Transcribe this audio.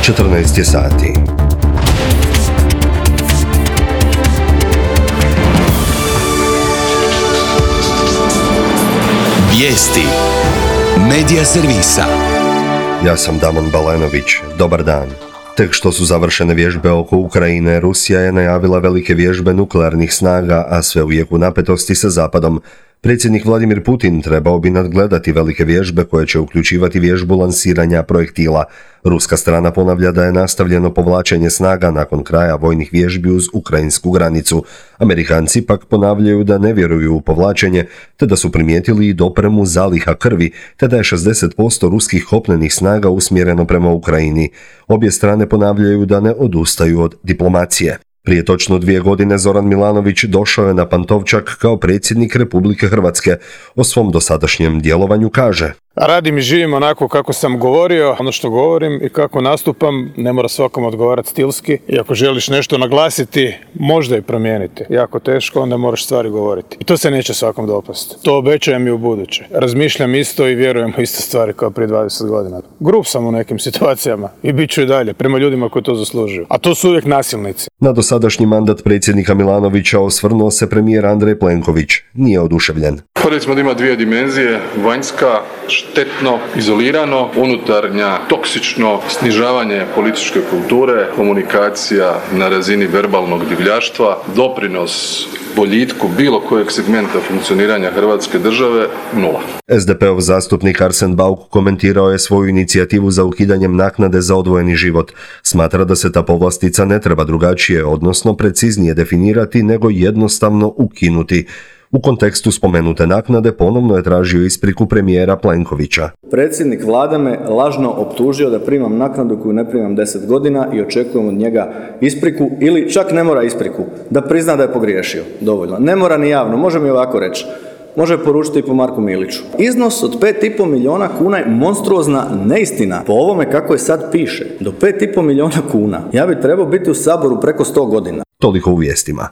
14 je sati. Vijesti Medija servisa. Ja sam Damon Balenović. Dobar dan. Tek što su završene vježbe oko Ukrajine, Rusija je najavila velike vježbe nuklearnih snaga, a sve u jeku napetosti sa Zapadom. Predsjednik Vladimir Putin trebao bi nadgledati velike vježbe koje će uključivati vježbu lansiranja projektila. Ruska strana ponavlja da je nastavljeno povlačenje snaga nakon kraja vojnih vježbi uz ukrajinsku granicu. Amerikanci pak ponavljaju da ne vjeruju u povlačenje, te da su primijetili i dopremu zaliha krvi, te da je 60% ruskih kopnenih snaga usmjereno prema Ukrajini. Obje strane ponavljaju da ne odustaju od diplomacije. Prije točno 2 godine Zoran Milanović došao je na Pantovčak kao predsjednik Republike Hrvatske. O svom dosadašnjem djelovanju kaže: Radim i živim onako kako sam govorio, ono što govorim i kako nastupam, ne mora svakom odgovarati stilski. I ako želiš nešto naglasiti, možda i promijeniti. Jako teško, onda moraš stvari govoriti. I to se neće svakom dopasti. To obećajem i u buduće. Razmišljam isto i vjerujem u iste stvari kao prije 20 godina. Grub sam u nekim situacijama i bit ću i dalje prema ljudima koji to zaslužuju. A to su uvijek nasilnici. Na dosadašnji mandat predsjednika Milanovića osvrnuo se premijer Andrej Plenković. Nije oduševljen. Recimo da ima 2 dimenzije, vanjska, štetno, izolirano, unutarnja, toksično, snižavanje političke kulture, komunikacija na razini verbalnog divljaštva, doprinos boljitku bilo kojeg segmenta funkcioniranja Hrvatske države, 0. SDP-ov zastupnik Arsen Bauk komentirao je svoju inicijativu za ukidanjem naknade za odvojeni život. Smatra da se ta povlastica ne treba drugačije, odnosno preciznije definirati, nego jednostavno ukinuti. U kontekstu spomenute naknade ponovno je tražio ispriku premijera Plenkovića. Predsjednik vlade me lažno optužio da primam naknadu koju ne primam 10 godina i očekujem od njega ispriku, ili čak ne mora ispriku, da prizna da je pogriješio. Dovoljno. Ne mora ni javno, može mi ovako reći. Može poručiti i po Marku Miliću. Iznos od 5,5 milijuna kuna je monstruozna neistina. Po ovome kako je sad piše, do 5,5 milijuna kuna ja bi trebao biti u Saboru preko 100 godina. Toliko u vijestima.